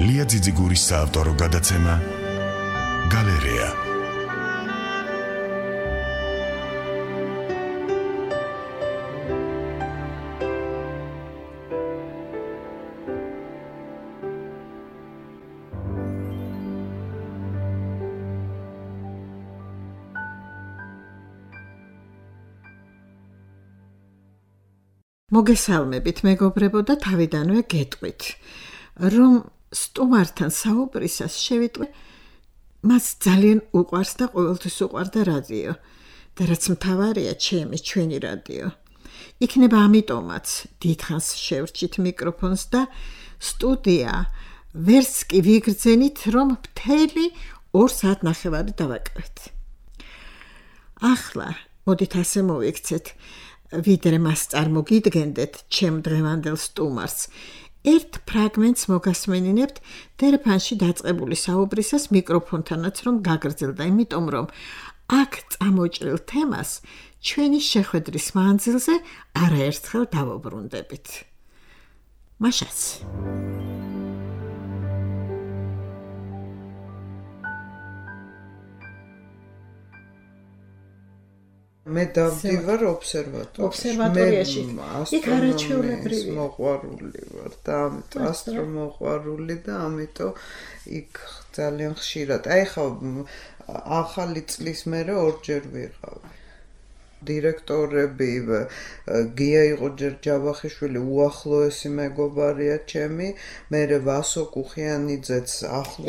ლია ძიძიგურის საავტორო გადაცემა გალერეა. მოგესალმებით, მეგობრებო და თავიდანვე გეტყვით, რომ სტუმართან საუბრისას შევიტყვი, მას ძალიან უყვარს და ყოველთვის უყვარდა რადიო და რაც მთავარია ჩვენი რადიო. იქნება ამიტომაც დიდხანს შევრჩით მიკროფონს და სტუდია ვერც კი ვიგრძენით, რომ მთელი 2 საათნახევარი დავაკრეთ. ახლა მოდით ასე მოვიქცეთ, ვიდრე მას წარმოგიდგენდეთ ჩემ დღევანდელ სტუმარს, ერთ ფრაგმენტს მოგასმენინებთ დერეფანში დაწყებული საუბრისას მიკროფონთანაც რომ გაგრძელდა, იმიტომ რომ აქ წამოჭრილ თემას ჩვენი შეხვედრის მანძილზე არაერთხელ დავუბრუნდებით. მაშას. მე დავდივარ ობსერვატორიაში. იქ არაჩვეულებრივი მოყვარული ვარ და ამიტომ ასტრომოყვარული და ამიტომ იქ ძალიან ხშირად. აი ხა ახალი წლის მერე ორჯერ ვიყავი. დირექტორები გია იყო ჯერ ჯავახიშვილი უახლოესი მეგობარია ჩემი, მერე ვასო კუხიანიძეც ახლო.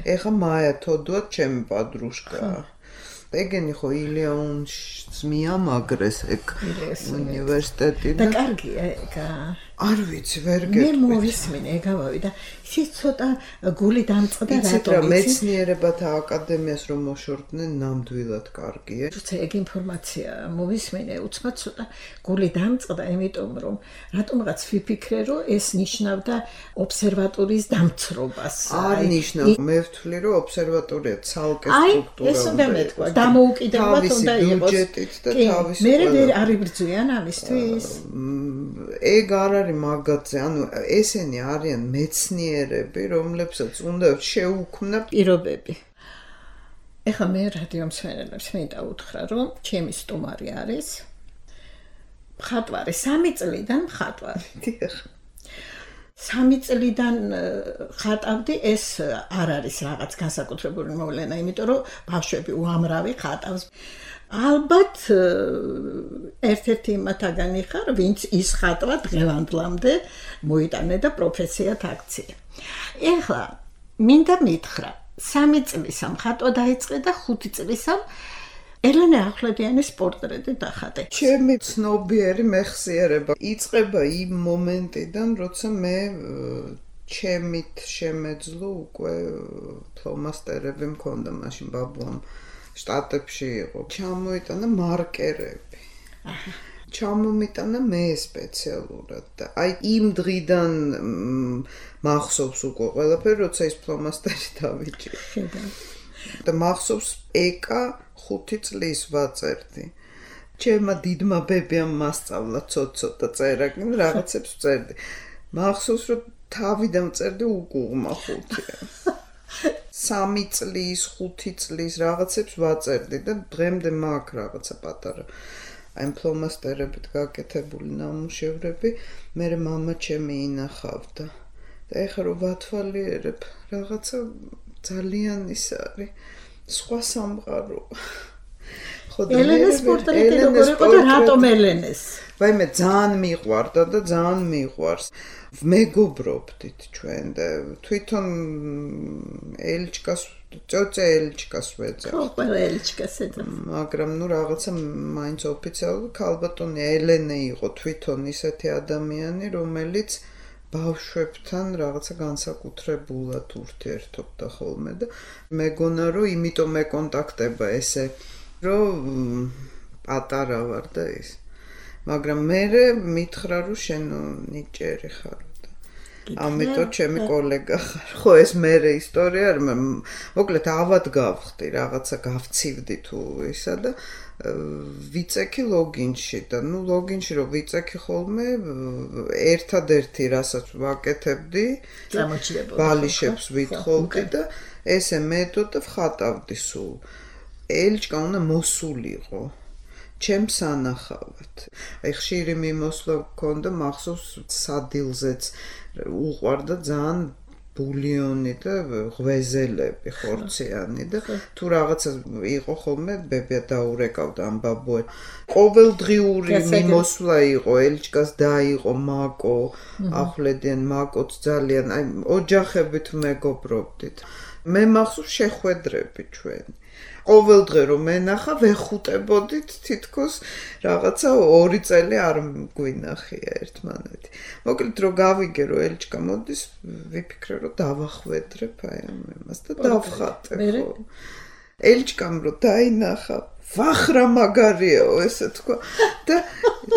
ეხა მაია თოდუა ჩემი პადრუშკა. ეგენი ხო ილეონს მიამაგრეს ეგ უნივერსიტეტი და კარგია ეგ. არ ვიცი, ვერ გეტყვით. მე მოვისმინე ეგავავი და ის ცოტა გული დამწყდა რატომ მეცნიერებათა აკადემიას რომ მოშორდნენ ნამდვილად კარგია. თუმცა ეგ ინფორმაცია მოვისმინე უცბად ცოტა გული დამწყდა, იმიტომ რომ რატომღაც ვიფიქრე რომ ეს ნიშნავდა ობსერვატორიის დამცრობას. არ ნიშნავს, მე ვთვლი რომ ობსერვატორია ცალკე სტრუქტურა. ეს უნდა მეთქვა, დამოუკიდებლად უნდა იყოს. ბიუჯეტით და თავისი. მე არ იბრძვიან ამისთვის. ეგ არ არის მაგათზე, ანუ ესენი არიან მეცნიერები, რომლებსაც უნდა შეუქმნა პირობები. ეხლა მე რადიო მსმენელებს მინდა უთხრა, რომ ჩემი სტუმარი არის მხატვარი, 3 წლიდან მხატვარი. 3 წლიდან ხატავდი, ეს არ არის რაღაც განსაკუთრებული მოვლენა, იმიტომ რომ ბავშვები უამრავი ხატავს. ალბათ ერთ-ერთი იმათაგანი ხარ, ვინც ისხატვა დღევანდლამდე მოიტანე და პროფესიად აქცია. ეხლა მინდა მითხრა, 3 წლისამ ხატვა დაიწყე და 5 წლისამ ელენე ახვლედიანის პორტრეტი დახატე. ჩემი ცნობიერი მეხსიერება იწყება იმ მომენტიდან, როცა მე ჩემით შემეძლო უკვე ფლომასტერები მქონდა მაშინ ბაბუამ შტატებში იყო. ჩამოიტანა მარკერები. ჩამომიტანა მე სპეციალურად და აი იმ დღიდან მახსოვს უკვე ყველაფერი, როცა ის ფლომასტერი დავიჭირე. და მახსოვს ეკა 5 წლის ვაწერდი. ჩემმა დიდმა ბებიამ მასწავლა ცოტ-ცოტა წერა, რაღაცებს წერდი. მახსოვს რომ თავიდან წერდი უკუღმა 5. 3 წლის, 5 წლის რაღაცებს ვაწერდი და დღემდე მაქვს რაღაცა პატარა. აი ფლომასტერებით გაკეთებული ნამუშევრები, მე მამა ჩემი ინახავდა. და ეხლა რომ ვათვალიერებ, რაღაცა ძალიან ის არის, სხვა სამყარო. ელენეს პორტრეტი როგორ იყო და რატომ ელენეს? ვაიმე ძალიან მიყვარდა და ძალიან მიყვარს. მეგობრობდით ჩვენ და თვითონ ელჩკას, წოწე ელჩკას ვეძახ. ხო, ყველა ელჩკას ეძახ. მაგრამ ნუ რაღაცა მაინც ოფიციალური ქალბატონი ელენე იყო თვითონ ისეთი ადამიანი, რომელიც ბავშვებთან რაღაცა განსაკუთრებულად ურთიერთობდა ხოლმე და მეგონა რომ იმიტომ მეკონტაქტება ესე რომ პატარა ვარ და ის. მაგრამ მე მითხრა რომ შენ ნიჭიერი ხარ და ამიტომ ჩემი კოლეგა ხარ. ხო, ეს მერე ისტორია არ მოკლედ ავად გავხდი, რაღაცა გავცივდი თუ ისა და ვიწექი ლოგინში და ლოგინში რომ ვიწექი ხოლმე ერთადერთი რასაც ვაკეთებდი ბალიშებს ვითხოვდი და ესე მეთოდე ვხატავდი სულ ელჩკა უნდა მოსულიყო ჩემს ანახავად აი ხშირი მიმოსვლა მქონდა მახსოვს სადილზეც უყვარდა ძალიან ბულიონი და ღვეზელები ხორციანი და თუ რაღაცა იყო ხოლმე ბებია დაურეკავდა ამ ბაბუე ყოველდღიური მიმოსვლა იყო ელჩკას დაიყო მაკო ახვლედიან მაკოც ძალიან აი ოჯახებით მეგობრობდით მე მახსოვს შეხვედრები ჩვენი ყოველდღე რომ მენახა ვეხუტებოდით თითქოს რაღაცა 2 წელი არ გვინახია ერთმანეთი. მოკლედ რომ გავიგე რომ ელჩკა მოდის, ვიფიქრე რომ დავახვედრებ აი ამას და დავხატე ხო. ელჩკამ რომ დაინახა ვახრა მაგარიაო ესე თქვა და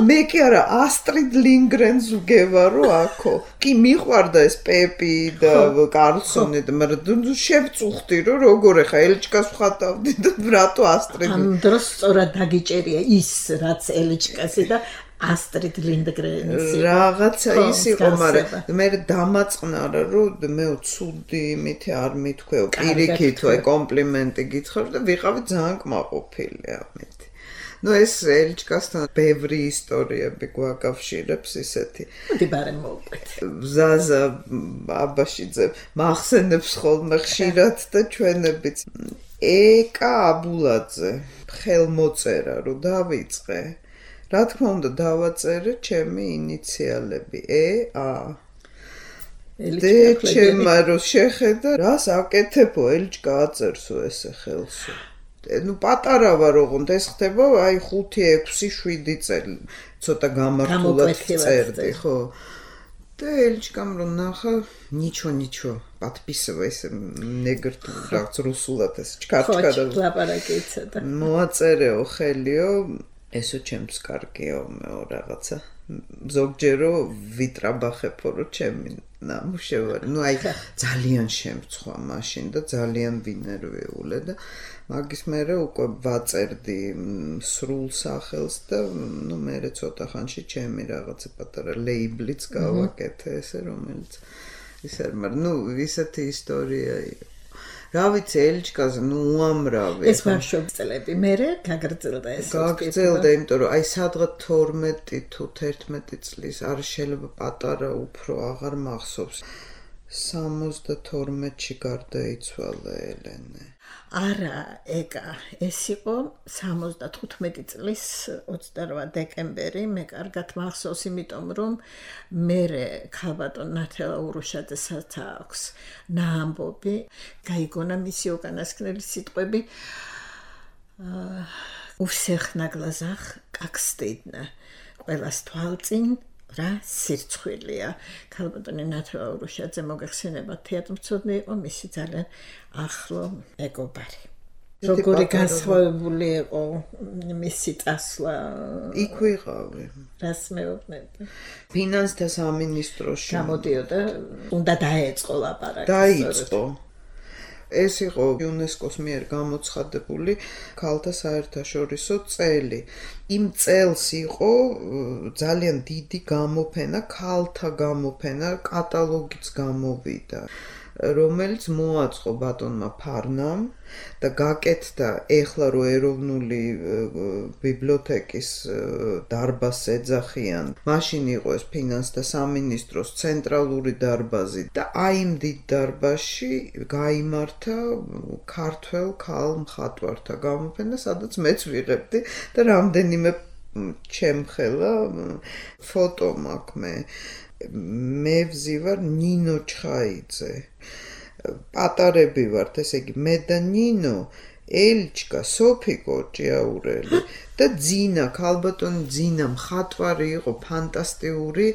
მე კი არა ასტრიდ ლინგრენს ვგევარო აქო კი მიყვარდა ეს პეპი და კარლსონი და მაგრამ შევწუხდი რომ როგორ ახლა ელჩკას ვხატავდი და რატო ასტრიდ ამ დროს სწორად დაგიჭერია ის რაც ელჩკასი და ასტრიდ ლინგრენი რაღაცა ის იყო მაგრამ მე დამაწყნარა რომ მე ცუდი იმითი არ მithქვეო პირიქით აი კომპლიმენტი გითხრა და ვიყავი ძალიან კმაყოფილი ამით ნუ ეს ელჩკასთან ბევრი ისტორიები გვაკავშირებს ისეთი მოდი ბარემ მოვყვეთ ზაზა აბაშიძე მახსენებს ხოლმე ხშირად და ჩვენებიც ეკა აბულაძე ხელმოწერა რომ დავიწყე რა თქმა უნდა დავაწერე ჩემი ინიციალები ე-ა დე ჩემმა რო შეხედა რას აკეთებო ელჩკა აწერსო ესე ხელსო ნუ პატარა ვარ ოღონდ ეს ხდება აი 5-6-7 წელი ცოტა გამართულად წერდი ხო და ელჩკამ რო ნახა ничего подписывай ესე ნეგრ რაღაც რუსულად ეს ჩქარჩქარა ხო ლაპარაკიცა და მოაწერეო ხელიო ესო ჩემს კარგიო მეო რაღაცა ზოგჯერო ვიტრაბახებო რომ ჩემი ნამუშევარი ნუ აი ძალიან შემცხვა მაშინ და ძალიან ვინერვიულე და მაგის მერე უკვე ვაწერდი სრულ სახელს და ნუ მერე ცოტა ხანში ჩემი რაღაცა პატარა ლეიბლიც გავაკეთე ესე რომელიც ისე მაგრამ ნუ ისეთი ისტორია რა ვიცი ელჩკაზე ნუ უამრავი ეს ბავშვობის წლები მერე გაგრძელდა ეს გაგრძელდა იმიტომ რომ აი სადღაც 12 თუ 11 წლის არ შეიძლება პატარა უფრო აღარ მახსოვს 72-ში გარდაიცვალა ელენე არა ეკა ეს იყო 75 წლის 28 დეკემბერი მე კარგად მახსოვს იმიტომ რომ მერე ქალბატონ ნათელა ურუშაძესაც აქვს ნაამბობი გაიგონა მისი უკანასკნელი სიტყვები у всех на глазах как стыдно ყველას თვალწინ რა სირცხვილია ქალბატონი ნათელა ურუშაძე მოგეხსენება თეატრმცოდნე იყო მისი ძალიან ახლო მეგობარი როგორი განსხვავებული იყო მისი წასვლა იქ ვიყავი რას მეუბნები ფინანსთა სამინისტროში გამოდიოდა უნდა დაეწყო ლაპარაკი დაიწყო ეს იყო იუნესკოს მიერ გამოცხადებული ქალთა საერთაშორისო წელი. იმ წელს იყო ძალიან დიდი გამოფენა, ქალთა გამოფენა, კატალოგიც გამოვიდა, რომელიც მოაწყო ბატონმა ფარნამ და გაკეთდა ეხლა რო ეროვნული ბიბლიოთეკის დარბაზს ეძახიან. მაშინ იყო ეს ფინანსთა სამინისტროს ცენტრალური დარბაზი და აი იმ დიდ დარბაზში გაიმართა ქართველ ქალ მხატვართა გამოფენა, სადაც მეც ვიღებდი და რამდენიმე ჩემხელა ფოტო მაქვს მე ვზივარ ნინო ჩხაიძე პატარები ვართ ესე იგი მე და ნინო ელჩკა სოფიკო ჭიაურელი და ძინა ქალბატონი ძინა მხატვარი იყო ფანტასტიკური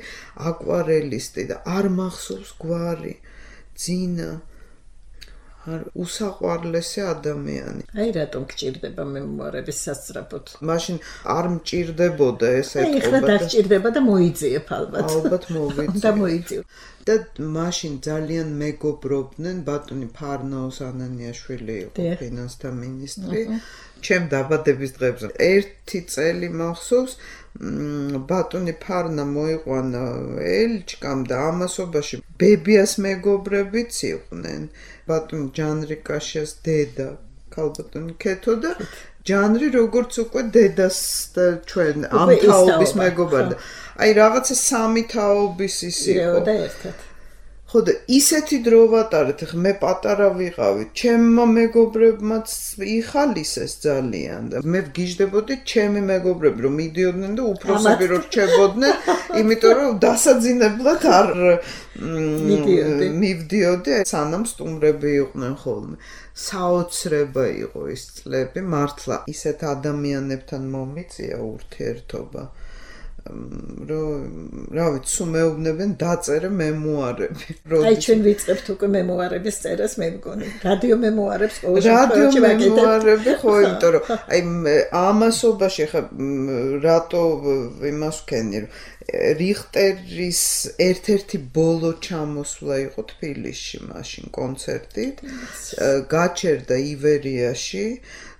აკვარელისტი და არ მახსოვს გვარი ძინა უსაყვარლესი ადამიანი. აი რატომ გჭირდება მემუარების სასწრაფოდ? მაშინ არ მჭირდებოდა ეს აი ხა დაგჭირდება და მოიძიებ ალბათ. ალბათ მოვიძიებ. და მოიძიებ. და მაშინ ძალიან მეგობრობდნენ ბატონი ფარნაოს ანანიაშვილი იყო ფინანსთა მინისტრი. ჩემ დაბადების დღეებზე ერთი წელი მახსოვს ბატონი ფარნა მოიყვანა ელჩკამ და ამასობაში ბებიას მეგობრებიც იყვნენ. ბატონი ჯანრიკაშეს დედა ქალბატონი ქეთო და ჯანრი როგორც უკვე დედას და ჩვენ ამ თაობის მეგობარი. აი რაღაცა სამი თაობის ის იყო და ერთად. ხო და ისეთი დრო ვატარეთ, ხა მე პატარა ვიყავი, ჩემმა მეგობრებმაც იხალისეს ძალიან და მე ვგიჟდებოდი ჩემი მეგობრები რომ მიდიოდნენ და უფროსები რომ რჩებოდნენ, იმიტომ რომ დასაძინებლად არ მივდიოდი, სანამ სტუმრები იყვნენ ხოლმე. საოცრება იყო ის წლები, მართლა ისეთ ადამიანებთან მომიწია ურთიერთობა. რა ვიცი, სულ მეუბნებენ დაწერე მემუარები. აი ჩვენ ვიწყებთ უკვე მემუარების წერას, მე მგონი. რადიო მემუარებს ყოველ შემთხვევაში ვაკეთებ. რადიო მემუარები ხო, იმიტომ რომ აი ამასობაში ხა რატო იმას ვქენი, რომ რიხტერის ერთ-ერთი ბოლო ჩამოსვლა იყო თბილისში მაშინ კონცერტით. გაჩერდა ივერიაში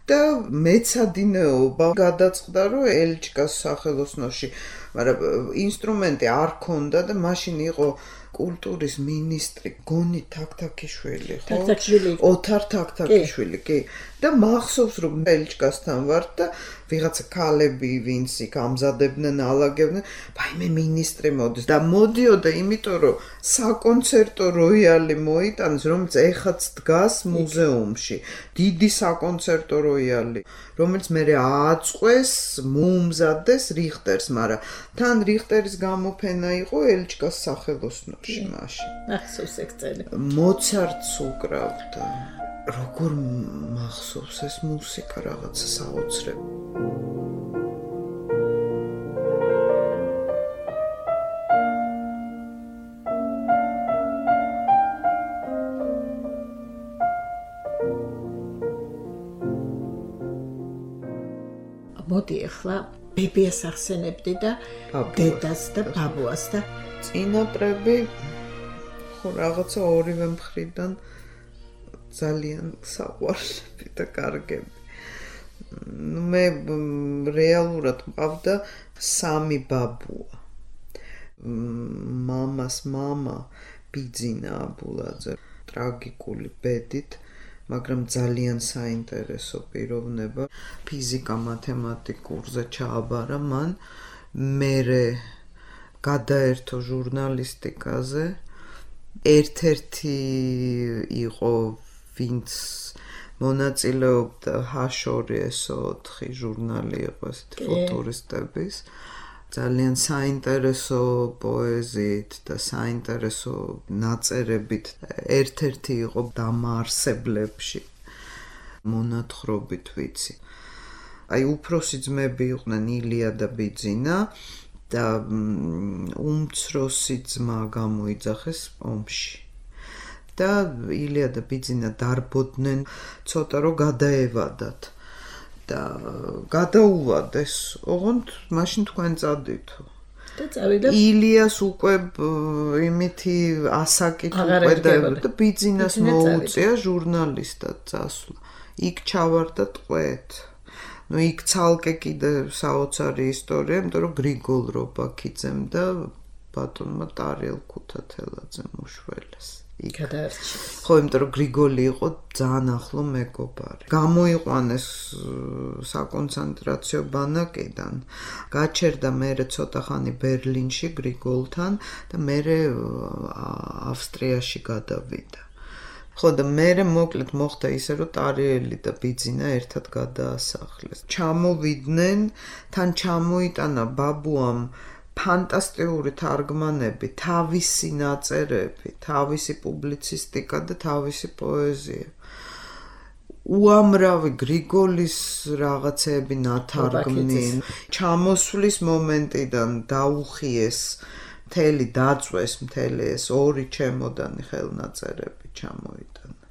და მეცადინეობა გადაწყდა რომ ელჩკას სახელოსნოში, მაგრამ ინსტრუმენტი არ ქონდა და მაშინ იყო კულტურის მინისტრი გონი თაქთაქიშვილი, ხო? თაქთაქიშვილი. ოთარ თაქთაქიშვილი, კი. და მახსოვს რომ ელჩკასთან ვარ და ვიღაცა ქალები ვინც იქ ამზადებდნენ, ალაგებდნენ, ვაიმე მინისტრი მოდის და მოდიოდა, იმიტომ რომ საკონცერტო როიალი მოიტანეს, რომელიც ეხაც დგას მუზეუმში. დიდი საკონცერტო როიალი, რომელიც მე ააწყვეს, მოუმზადეს რიხტერს, მაგრამ თან რიხტერის გამოფენა იყო ელჩკას სახელოსნოში მაშინ. ახსოვს ეგ წელი. მოცარტს უკრავდა. როგორ მახსოვს ეს მუსიკა რაღაცა საოცრები. მოდი ახლა ბებიას ახსენებდი და დედას და ბაბუას და წინაპრები ხო რაღაცა ორივე მხრიდან ძალიან საყვარლები და კარგები. მე რეალურად მყავდა 3 ბაბუა. მამას მამა ბიძინა აბულაძე ტრაგიკული ბედით, მაგრამ ძალიან საინტერესო პიროვნება. ფიზიკა მათემატიკურზე ჩააბარა მან, მერე გადაერთო ჟურნალისტიკაზე. ერთ-ერთი იყო ვინც მონაწილეობდა H2SO4 ჟურნალი იყო ესეთი ფუტურისტების. ძალიან საინტერესო პოეზიით და საინტერესო ნაწერებით. ერთ-ერთი იყო დამაარსებლებში მონათხრობით ვიცი. აი უფროსი ძმები იყვნენ ილია და ბიძინა და უმცროსი ძმა გამოიძახეს ომში. და ილია და ბიძინა დარბოდნენ ცოტა რომ გადაევადათ და გადაუვადეს. ოღონდ მაშინ თქვენ წადითო. და წავიდა. ილიას უკვე იმითი ასაკით უკვე და ბიძინას მოუწია ჟურნალისტად წასვლა. იქ ჩავარდა ტყვეთ. ნუ იქ ცალკე კიდე საოცარი ისტორია, იმიტომ რომ გრიგოლ რობაქიძემ და ბატონმა ტარიელ ქუთათელაძემ უშველეს. გადაარჩი. ხო, იმიტომ რომ გრიგოლი იყო ძალიან ახლო მეგობარი. გამოიყვანეს საკონცენტრაციო ბანაკიდან. გაჩერდა მერე ცოტა ხანი ბერლინში გრიგოლთან და მერე ავსტრიაში გადავიდა. ხო და მერე მოკლედ მოხდა ისე რომ ტარიელი და ბიძინა ერთად გადაასახლეს. ჩამოვიდნენ, თან ჩამოიტანა ბაბუამ ფანტასტიკური თარგმანები, თავისი ნაწერები, თავისი პუბლიცისტიკა და თავისი პოეზია. უამრავი გრიგოლის რაღაცები ნათარგმნი. ჩამოსვლის მომენტიდან დაუხიეს მთელი დაწვეს მთელი ეს 2 ჩემოდანი ხელნაწერები ჩამოიტანა.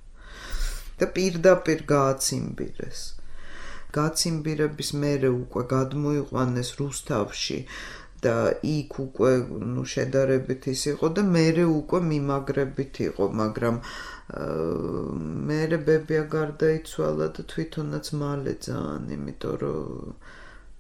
და პირდაპირ გააციმბირეს. გაციმბირების მერე უკვე გადმოიყვანეს რუსთავში და იქ უკვე შედარებით ის იყო და მერე უკვე მიმაგრებით იყო, მაგრამ მერე ბებია გარდაიცვალა და თვითონაც მალე ძალიან, იმიტომ რომ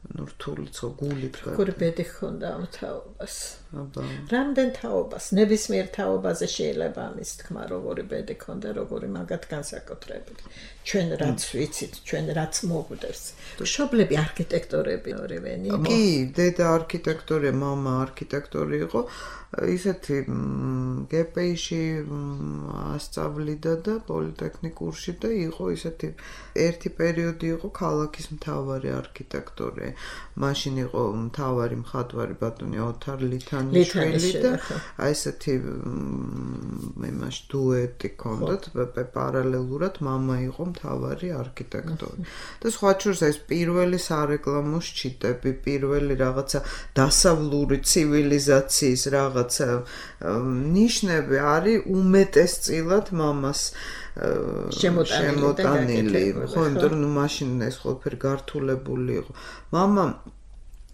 რთული ხო გულით როგორი ბედი ჰქონდა ამ თაობას. აბა. რამდენ თაობას, ნებისმიერ თაობაზე შეიძლება ამის თქმა, როგორი ბედი ჰქონდა, როგორი მაგათ განსაკუთრებით. ჩვენ რაც ვიცით, ჩვენ რაც მოგვდევს. მშობლები არქიტექტორები ორივენი. კი, დედა არქიტექტორია, მამა არქიტექტორი იყო. ისეთი გპ-ში ასწავლიდა და პოლიტექნიკურში და იყო ისეთი ერთი პერიოდი იყო ქალაქის მთავარი არქიტექტორი. მაშინ იყო მთავარი მხატვარი ბატონი ოთარ ლითანიშვილი და აი ესეთი იმაში დუეტი ჰქონდათ, პარალელურად მამა იყო მთავარი არქიტექტორი. და სხვა შორის ეს პირველი სარეკლამო შჩიტები, პირველი რაღაცა დასავლური ცივილიზაციის რაღაცა ნიშნები არის უმეტესწილად მამას შემოტანილი. ხო, იმიტომ რომ მაშინ ეს ყველაფერი გართულებული იყო. მამა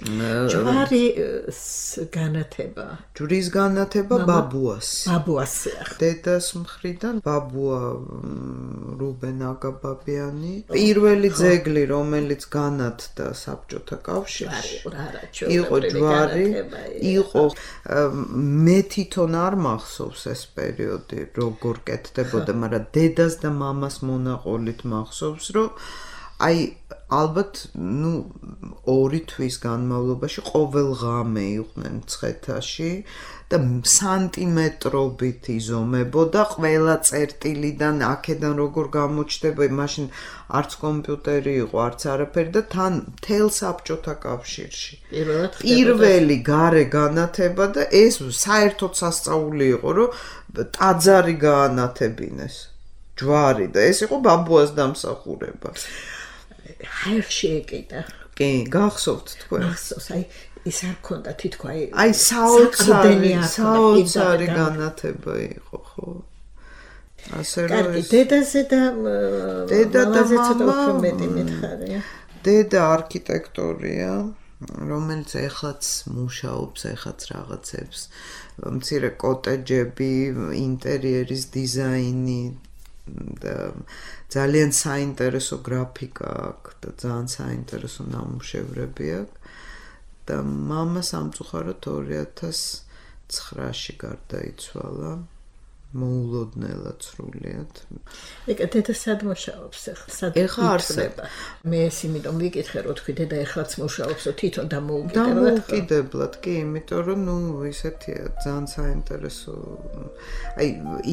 ჯვარის განათება. ჯვრის განათება ბაბუას. ბაბუასია. დედას მხრიდან ბაბუა რუბენ აგაბაბიანი. პირველი ძეგლი, რომელიც განათდა საბჭოთა კავშირში. იყო ჯვარი, იყო მე თვითონ არ მახსოვს ეს პერიოდი, როგორ კეთდებოდა, მაგრამ დედას და მამას მონაყოლით მახსოვს, რომ აი ალბათ ორი თვის განმავლობაში ყოველ ღამე იყვნენ მცხეთაში და სანტიმეტრობით იზომებოდა ყველა წერტილიდან აქედან როგორ გამოჩნდება, მაშინ არც კომპიუტერი იყო, არც არაფერი და თან მთელ საბჭოთა კავშირში. პირველი გარე განათება და ეს საერთოდ სასწაული იყო, რომ ტაძარი გაანათებინეს. ჯვარი და ეს იყო ბაბუას დამსახურება. ჰაერში ეკიდა. კი, გახსოვთ თქვენ. მახსოვს, აი ის არ ქონდა თითქო აი საოცარი განათება იყო, ხო? ასე რომ დედაზე და მამაზე ცოტა უფრო მეტი მითხარია. დედა არქიტექტორია, რომელიც ეხლაც მუშაობს, ეხლაც რაღაცებს, მცირე კოტეჯები, ინტერიერის დიზაინი და ძალიან საინტერესო გრაფიკა აქვს და ძალიან საინტერესო ნამუშევრები აქვს და მამა სამწუხაროდ 2009-ში გარდაიცვალა მოულოდნელად სრულიად. ეკა დედა სად მუშაობს ახლა? ეხლა არსება. მე ეს იმიტომ ვიკითხე, რომ თქვი დედა ეხლაც მუშაობს, თვითონ დამოუკიდებლად, კი, იმიტომ რომ ისეთია ძალიან საინტერესო. აი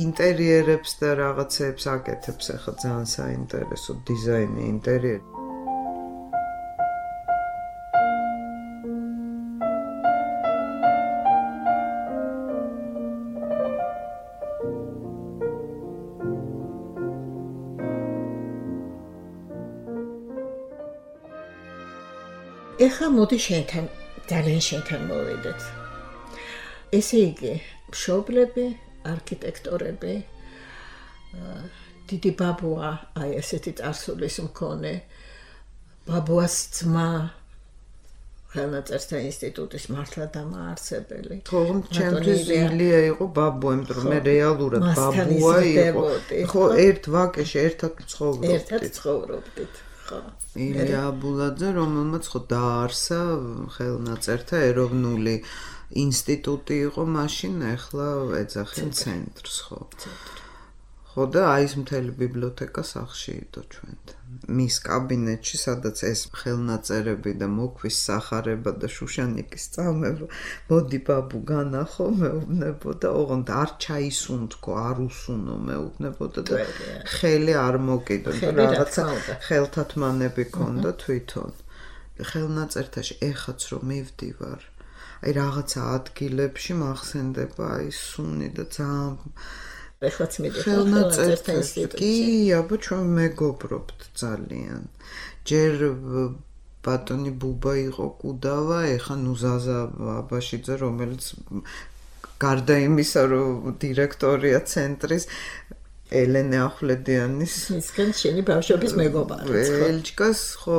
ინტერიერებს და რაღაცებს აკეთებს ახლა ძალიან საინტერესო დიზაინი ინტერიერი. ეხლა მოდი შენთან, ძალიან შენთან მოვიდეთ. ესე იგი, მშობლები, არქიტექტორები, დიდი ბაბუა, აი ესეთი წარსულის მქონე, ბაბუას ძმა, ხელნაწერთა ინსტიტუტის მართლა დამაარსებელი. ხო, ჩემთვის ილია იყო ბაბუა, იმიტომ რომ მე რეალურად ბაბუა იყო. ხო, ერთ ვაკეში ერთად ცხოვრობდით. ერთად ცხოვრობდით. ილია აბულაძე, რომელმაც ხო დაარსა ხელნაწერთა ეროვნული ინსტიტუტი იყო მაშინ, ახლა ეძახიან ცენტრს, ხო. ხო და აი ეს მთელი ბიბლიოთეკა სახლში იდო ჩვენთან. მის კაბინეტში, სადაც ეს ხელნაწერები და მოქვის სახარება და შუშანიკის წამება, მოდი ბაბუ განახო, მეუბნებოდა, ოღონდ არ ჩაისუნთქო, არ უსუნო, მეუბნებოდა და ხელი არ მოკიდო, რაღაცა ხელთათმანები ქონდა თვითონ. ხელნაწერთაში ეხაც რომ მივდივარ, აი რაღაცა ადგილებში მახსენდება აი სუნი და ძალიან ეხლაც ხელნაწერთა ინსტიტუტში. კი, აბა ჩვენ მეგობრობთ ძალიან. ჯერ ბატონი ბუბა იყო კუდავა, ეხა ზაზა აბაშიძე, რომელიც გარდა იმისა, რომ დირექტორია ცენტრის, ელენე ახვლედიანის ისგან შენი ბავშვობის მეგობარი ელჩკას ხო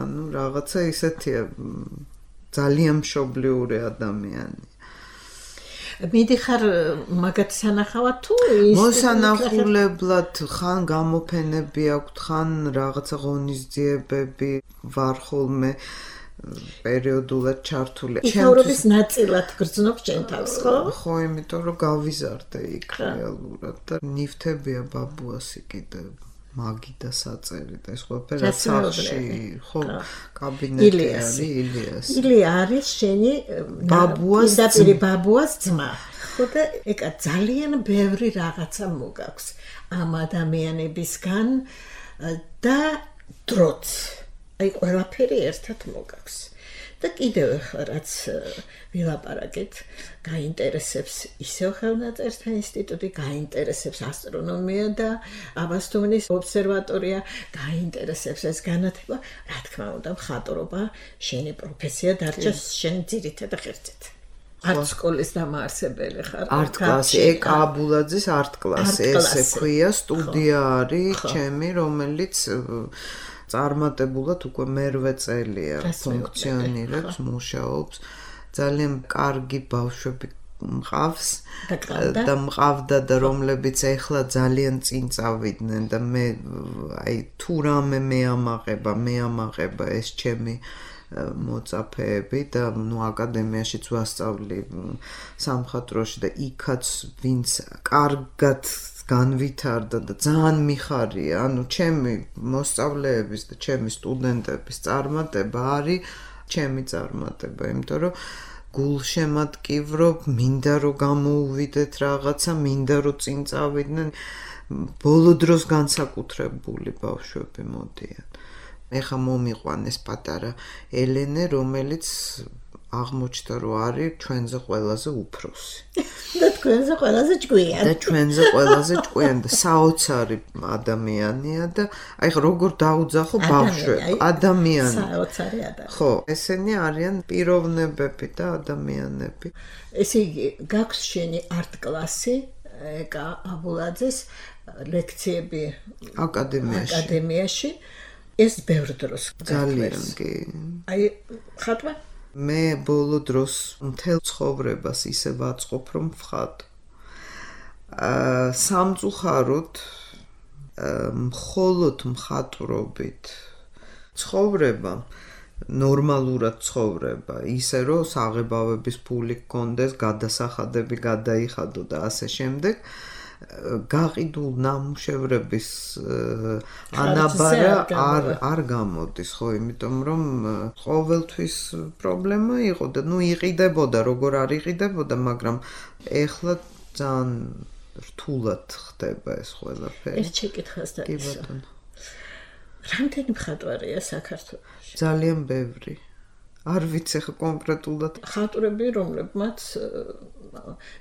ანუ რაღაცა ისეთია ძალიან მშობლიური ადამიანი მიდიხარ მაგათ სანახავად თუ ის მოსანახულებლად ხან გამოფენები აქვთ ხან რაღაცა ღონისძიებები ვარ ხოლმე პერიოდულად ჩართული ცხოვრების ნაწილად გრძნობ ჩემ თავს ხო? ხო, იმიტომ რომ გავიზარდე იქ რეალურად და ნივთებია ბაბუასი კიდე მაგი და საწერი და ეს ყველაფერი რაც სახში ხო კაბინეტი არის ილიას ილია არის შენი ბაბუას ძმა ხო და ეკა ძალიან ბევრი რაღაცა მოგაქვს ამ ადამიანებისგან და დროც აი ყველაფერი ერთად მოგაქვს და კიდევ რაც ვილაპარაკეთ გაინტერესებს ისევ ხელნაწერთა ინსტიტუტი გაინტერესებს ასტრონომია და აბასთუმნის ობსერვატორია გაინტერესებს ეს განათლება რა თქმა უნდა მხატვრობა შენი პროფესია დარჩა შენ ძირითადი ღერძით არტ სკოლის დამაარსებელი ხარ არტ კლასი ეკა აბულაძის არტ კლასი ესე ქვია სტუდია არის ჩემი რომელიც წარმატებულად უკვე მერვე წელია ფუნქციონირებს, მუშაობს. ძალიან კარგი ბავშვები მყავს და მყავდა და რომლებიც ეხლა ძალიან წინ წავიდნენ და მე აი თუ რამე მეამაღება ეს ჩემი მოწაფეები და ნუ აკადემიაშიც ვასწავლი სამხატვროში და იქაც ვინც კარგად განვითარდა და ძალიან მიხარია, ანუ ჩემი მოსწავლეების და ჩემი სტუდენტების წარმატება არის ჩემი წარმატება, იმიტომ რომ გულშემატკივრობ, მინდა რომ გამოუვიდეთ რაღაცა, მინდა რომ წინ წავიდნენ, ბოლო დროს განსაკუთრებული ბავშვები მოდიან. ეხა მომიყვანეს პატარა ელენე, რომელიც აღმოჩნდა რომ არის ჩვენზე ყველაზე უფროსი. და თქვენზე ყველაზე ჭკვიანი. და ჩვენზე ყველაზე ჭკვიანი და საოცარი ადამიანია და აი ხო როგორ დაუძახო ბავშვები, ადამიანი. საოცარი ადამიანი. ხო, ესენი არიან პიროვნებები და ადამიანები. ესე იგი, გაქვს შენი არტ კლასი, ეკა აბულაძის ლექციები აკადემიაში. ეს ბევრ დროს ძალიან კი. აი, ხატვა მე ბოლო დროს მთელ ცხოვრებას ისე ვაწყობ რომ ვხატო. სამწუხაროდ მხოლოდ მხატვრობით ცხოვრება ნორმალურად ცხოვრება ისე რომ საღებავების ფული გქონდეს, გადასახადები გადაიხადო და ასე შემდეგ გაყიდულ ნამუშევრების ანაბარა არ გამოდის ხო იმიტომ რომ ყოველთვის პრობლემა იყო და ნუ იყიდებოდა როგორ არ იყიდებოდა მაგრამ ეხლა ძალიან რთულად ხდება ეს ყველაფერი ერთ შეკითხვას და რამდენი მხატვარია საქართველოში ძალიან ბევრი არ ვიცი ხა კონკრეტულად მხატვრები რომლებმაც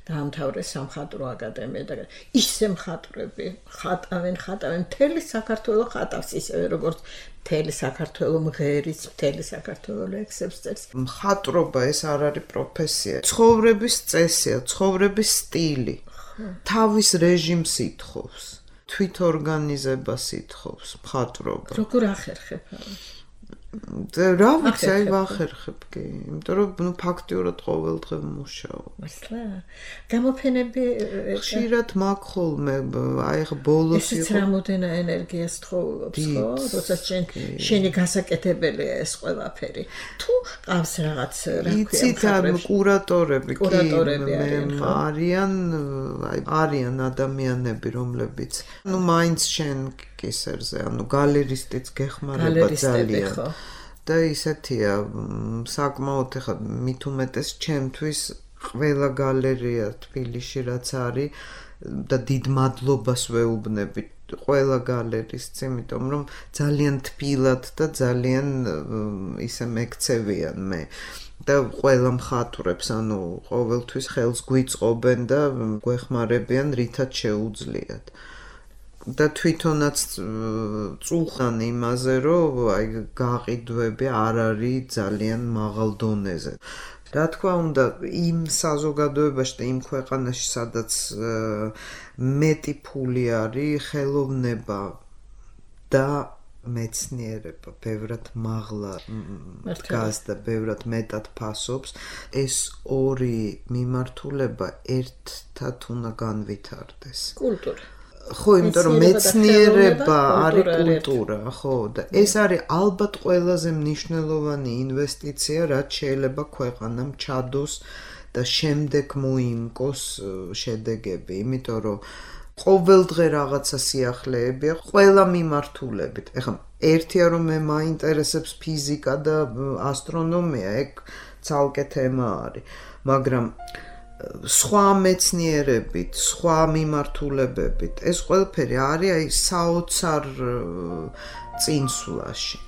დაამთავრეს სამხატვრო აკადემია და ისე მხატვრები ხატავენ მთელი საქართველოს ხატავს ისევე როგორც მთელი საქართველოს მღერის მთელი საქართველოს ლექსებს წერს მხატვრობა ეს არ არის პროფესია ცხოვრების წესია ცხოვრების სტილი თავის რეჟიმს ითხოვს თვითორგანიზებას ითხოვს მხატვრობა როგორ ახერხებ რა ვიცი, აი ვახერხებ კი, იმიტომ რომ ნუ ფაქტიურად ყოველდღე მუშაობ. მართლა? გამოფენები ხშირად მაქვს ხოლმე, აი ხა ბოლოს იყო. ეს რამოდენა ენერგიას თხოვობს, ხო? როცა შენი გასაკეთებელია ეს ყველაფერი. თუ ყავს რაღაც რა ქვია, იცით კურატორები არიან ადამიანები, რომლებიც ნუ მაინც შენ კისერზე, ანუ გალერისტიც გეხმარება ძალიან. და ისეთია, საკმაოდ ხა მით უმეტეს ჩემთვის ყველა გალერეა თბილისში რაც არის და დიდ მადლობას ვეუბნები ყველა გალერისტს, იმიტომ რომ ძალიან თბილად და ძალიან ისე მეკცევიან მე. და ყველა მხატვრებს, ანუ ყოველთვის ხელს გვიწყობენ და გვეხმარებიან, რითაც შეუძლიათ. და თვითონაც წუხან იმაზე, რომ აი გაყიდვები არ არის ძალიან მაღალ დონეზე. რა თქმა უნდა, იმ საზოგადოებაში და იმ ქვეყანაში, სადაც მეტი ფული არის, ხელოვნება და მეცნიერება ბევრად მაღლა დგას და ბევრად მეტად ფასობს, ეს ორი მიმართულება ერთად უნდა განვითარდეს. კულტურა. ხო, იმიტომ რომ მეცნიერება არის კულტურა, ხო, და ეს არის ალბათ ყველაზე მნიშვნელოვანი ინვესტიცია, რაც შეიძლება ქვეყანამ ჩადოს და შემდეგ მოიმკოს შედეგები, იმიტომ რომ ყოველდღე რაღაცა სიახლეებია, ყველა მიმართულებით. ეხლა ერთია რომ მე მაინტერესებს ფიზიკა და ასტრონომია, ეგ ცალკე თემა არის, მაგრამ სხვა მეცნიერებით, სხვა მიმართულებებით, ეს ყველაფერი არის აი საოცარ წინსვლაში.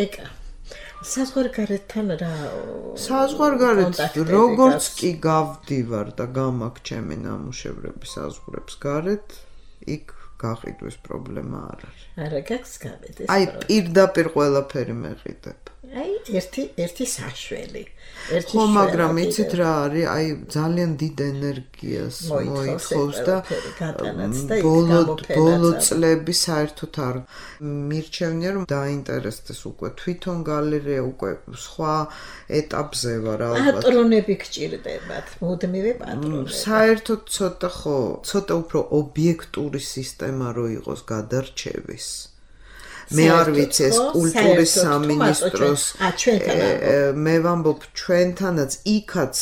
ეკა საზღვარგარეთთან რა საზღვარგარეთ როგორც კი გავდივარ და გამაქვს ჩემი ნამუშევრები საზღვრებს გარეთ, იქ გაყიდვის პრობლემა არ არის. არა გაქვს გავედეს. აი პირდაპირ ყველაფერი მეყიდებ. აი ერთი საშველი. ხო, მაგრამ იცით რა არის, აი ძალიან დიდ ენერგიას მოითხოვს და ბოლო წლები საერთოდ არ მირჩევნია რომ დაინტერესდეს უკვე თვითონ გალერეა, უკვე სხვა ეტაპზე ვარ ალბათ. პატრონები გჭირდებათ, მუდმივი პატრონები. საერთოდ ცოტა უფრო ობიექტური სისტემა რო იყოს გადარჩევის. მე არ ვიცი ეს კულტურის სამინისტროს მე ვამბობ ჩვენთანაც იქაც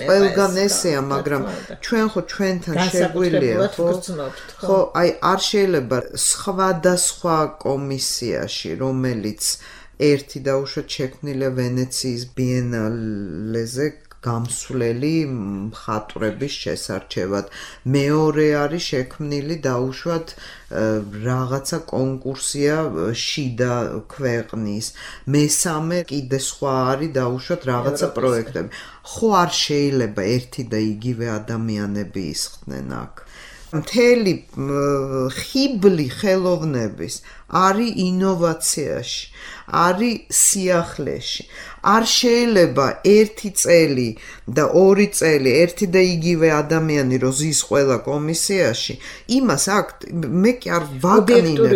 ყველგან ესეა, მაგრამ ჩვენ ხო ჩვენთან შეგვიძლია ხო აი არ შეიძლება სხვადასხვა კომისიაში რომელიც ერთი დაუშვათ შექმნილია ვენეციის ბიენალეზე გამსვლელი მხატვრების შესარჩევად. მეორე არის შექმნილი დაუშვათ რაღაცა კონკურსია შიდა ქვეყნის. მესამე კიდე სხვა არის დაუშვათ რაღაცა პროექტები. ხო არ შეიძლება ერთი და იგივე ადამიანები ისხდნენ აქ. მთელი ხიბლი ხელოვნების არის ინოვაციაში, არის სიახლეში. არ შეიძლება ერთი წელი და ორი წელი ერთი და იგივე ადამიანი რო ზის ყველა კომისიაში, იმას აქ მე კი არ ვაკნინებ.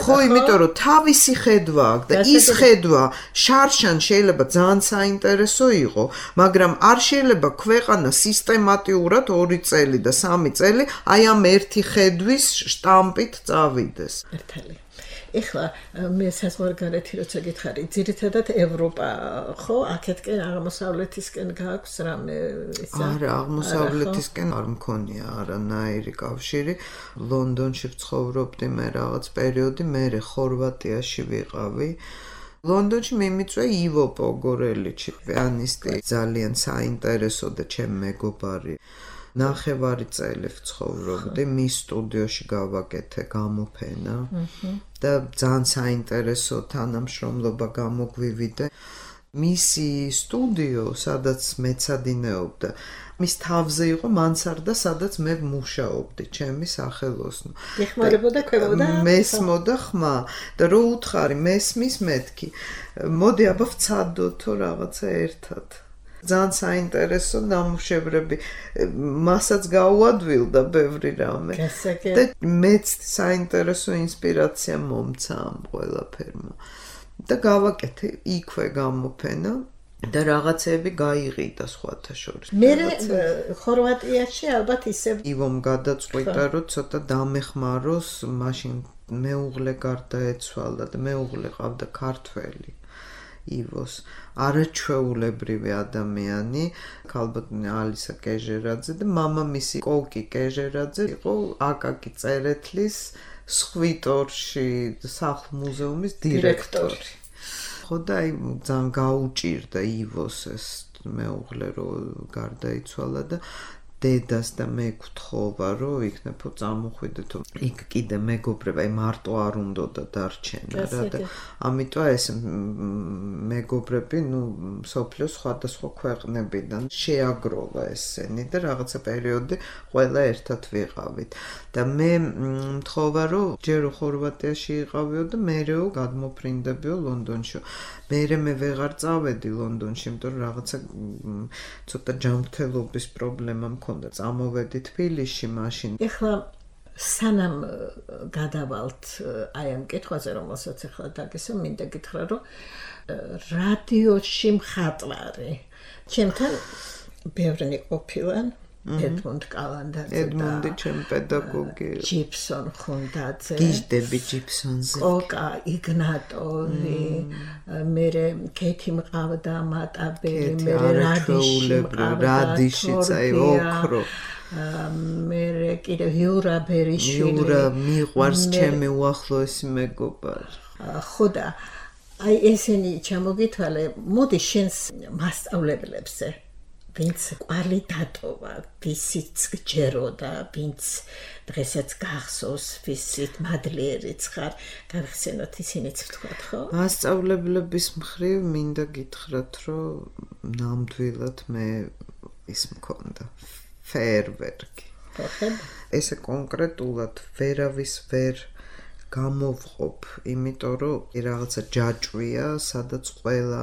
ხო, იმიტომ რომ თავისი ხედვა აქვს და ის ხედვა შარშან შეიძლება ძალიან საინტერესო იყო, მაგრამ არ შეიძლება ქვეყანა სისტემატიურად 2 წელი და 3 წელი აი ამ ერთი ხედვის შტამპით წავიდეს. ერთალი. ეხლა მე საზღვარგარეთი როცა გითხარი, ძირითადად ევროპა, ხო, აქეთკენ აღმოსავლეთისკენ გააქვს რამე ისა? არა, აღმოსავლეთისკენ არ მქონია არანაირი კავშირი. ლონდონში ვცხოვრობდი მე რაღაც პერიოდი, მე ხორვატიაში ვიყავი. ლონდონში მიმიწვია ივო პოგორელიჩი, პიანისტი, ძალიან საინტერესო და ჩემი მეგობარი. ნახევარი წელი ვცხოვრობდი, მის სტუდიოში გავაკეთე გამოფენა და ძალიან საინტერესო თანამშრომლობა გამოგვივიდა. მისი სტუდიო, სადაც მეცადინეობდა, მის თავზე იყო მანსარდა, სადაც მე მუშაობდი, ჩემი სახელოსნო. ეხმარებოდა ქვებოდა? მესმოდა ხმა და რო უთხარი მესმის მეთქი. მოდი აბა ვცადოთ რაღაცა ერთად. ძალიან საინტერესო ნამუშევრები, მასაც გაუადვილდა ბევრი რამე. და მეც საინტერესო ინსპირაცია მომცა ამ ყველაფერმა. და გავაკეთე იქვე გამოფენა და რაღაცები გაიყიდა სხვათა შორის. მე ხორვატიაში ალბათ ისევ ივომ გადაწყვიტა რომ ცოტა დამეხმაროს, მაშინ მეუღლე გარდაეცვალა და მეუღლე ყავდა ქართველი. ივოს არაჩვეულებრივი ადამიანი, ქალბატონი ალისა კეჟერაძე და მამამისი კოკი კეჟერაძე იყო აკაკი წერეთლის სხვიტორში სახლ-მუზეუმის დირექტორი. ხო და აი ძალიან გაუჭირდა ივოს ეს მეუღლე რომ გარდაიცვალა და დედას და მე გთხოვა რომ იქნებო წამოხვიდე თუ იქ კიდე მეგობრები აი მარტო არ უნდა და დარჩენა რა და ამიტომ ეს მეგობრები სოფლიოს სხვადასხვა ქვეყნებიდან შეაგროვა ესენი და რაღაცა პერიოდი ყველა ერთად ვიყავით და მე მთხოვა რომ ჯერ ხორვატიაში იყავიო და მერეო გადმოფრინდებიო ლონდონში მე ვეღარ წავედი ლონდონში იმიტომ რომ რაღაცა ცოტა ჯანმრთელობის პრობლემა მქონდა წამოვედი თბილისში მაშინ ეხლა სანამ გადავალთ აი ამ კითხვაზე რომელსაც ეხლა დაგესვა მინდა გითხრა რომ რადიოში მხატვარი ჩემთან ბევრი ყოფილან ედმუნდ კალანდაძე ედმუნდი ჩემი პედაგოგი ჯიფსონ ხუნდაძე გიჟდები ჯიფსონზე კოკა იგნატოვი მერე კეთი მყავდა მატაბელი მერე რადიშიც აი ოქრო მერე კიდე იურა ბერიშვილი იურა მიყვარს ჩემი უახლოესი მეგობარი ხო და აი ესენი ჩამოგითვალე მოდი შენს მასწავლებლებზე ვინც ყვალი დატოვა, ვისიც გჯეროდა, ვინც დღესაც გახსოვს, ვისით მადლიერიც ხარ, გავხსენოთ ისინიც ვთქვათ, ხო? მასწავლებლების მხრივ მინდა გითხრათ, რომ ნამდვილად მე ის მქონდა ფეერვერკი. ესე კონკრეტულად ვერავის ვერ გამოვყოფ, იმიტომ რომ რაღაცა ჯაჭვია, სადაც ყველა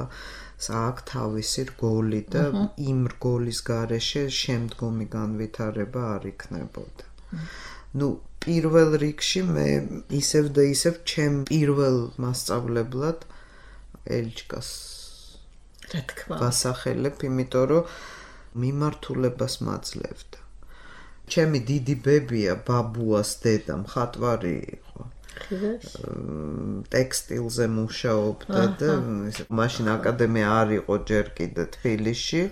აქ თავისი რგოლი და იმ რგოლის გარეშე შემდგომი განვითარება არ იქნებოდა. პირველ რიგში მე ისევ და ისევ ჩემ პირველ მასწავლებლად ელჩკას რა თქმა უნდა ვასახელებ, იმიტომ რომ მიმართულებას მაძლევდა. ჩემი დიდი ბებია ბაბუას დედა მხატვარი იყო. ტექსტილზე მუშაობდა და მაშინ აკადემია არ იყო ჯერ კიდე თბილისში,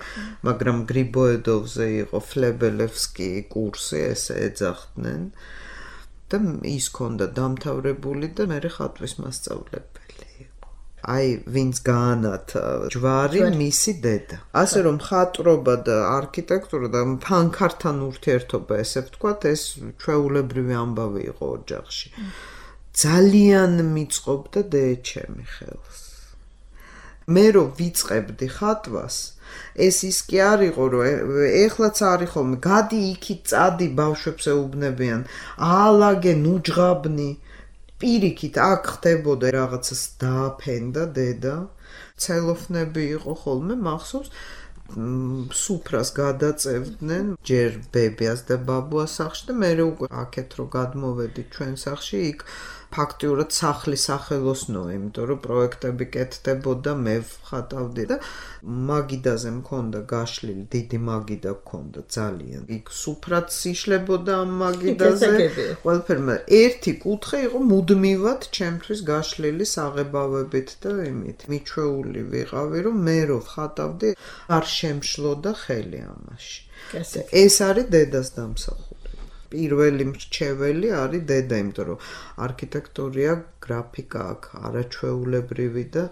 მაგრამ გრიბოედოვზე იყო ფლებელევსკი კურსი, ესე ეძახდნენ და ის ქონდა დამთავრებული და მე ხატვის მასწავლებელი იყო. აი, ვინც გაანათა ჯვარი მისი დედა. ასე რომ მხატვრობა და არქიტექტურა და ფანქართან ურთიერთობა, ესე ვთქვათ, ეს ჩვეულებრივი ამბავი იყო ოჯახში. ძალიან მიწყობდა დეეჩემი ხელს. მე რომ ვიწყებდი ხატვას, ეს ის კი არ იყო, რომ ეხლაც არის ხოლმე, გადი იქით წადი ბავშვებს ეუბნებიან, აალაგე ნუჯღაბნი, პირიქით აქ ხდებოდა რაღაცას დააფენდა დედა, ცელოფნები იყო ხოლმე, მახსოვს, სუფრას გადაწევდნენ ჯერ ბებიას და ბაბუას სახლში და მე უკვე აქეთ რომ გადმოვედი ჩვენ სახლში იქ ფაქტიურად სახლის სახელოსნოა, იმიტომ რომ პროექტები კეთდებოდა, მე ვხატავდი და მაგიდაზე მქონდა გაშლილი, დიდი მაგიდა მქონდა ძალიან. იქ სუფრაც იშლებოდა ამ მაგიდაზე. ყველაფერმა ერთი კუთხე იყო მუდმივად ჩემთვის გაშლილი საღებავებით და იმით. მიჩვეული ვიყავი, რომ მე რო ვხატავდი, არ შემშლოდა ხელი ამაში. ეს არის დედას დამსახურება. პირველი მრჩეველი არის დედა, იმიტომ რომ არქიტექტურია, გრაფიკა აქვს არაჩვეულებრივი და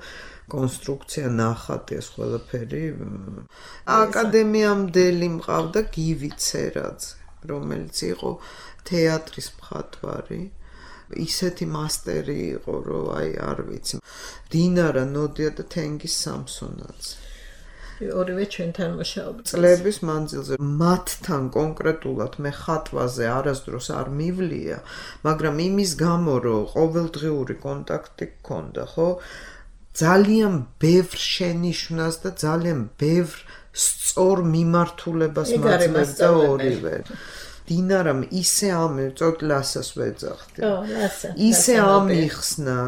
კონსტრუქცია ნახატი ეს ყველაფერი. აკადემიამდელი მყავდა გივი ცერაძე, რომელიც იყო თეატრის მხატვარი. ისეთი მასტერი იყო, რომ აი არ ვიცი. დინარა ნოდია და თენგის სამსონაძე. ორივე ჩვენთან მუშაობდა. წლების მანძილზე მათთან კონკრეტულად მე ხატვაზე არასდროს არ მივლია, მაგრამ იმის გამო, რომ ყოველდღიური კონტაქტი გქონდა, ხო? ძალიან ბევრ შენიშვნას და ძალიან ბევრ სწორ მიმართულებას მაძლევდა ორივე. დინარამ ისე წოკლასას ვეძახდი. ისე ამიხსნა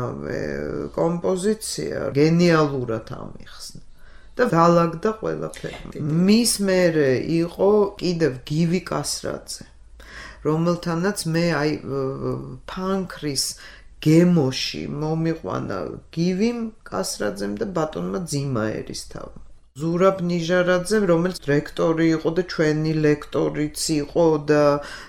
კომპოზიცია, გენიალურად ამიხსნა. და დალაგდა ყველაფერი. მის მერე იყო კიდევ გივი კასრაძე, რომელთანაც მე აი ფანქრის გემოში მომიყვანა გივიმ კასრაძემ და ბატონმა ძიმა ერისთავმა. ზურაბ ნიჟარაძე, რომელიც რექტორი იყო და ჩვენი ლექტორიც იყო და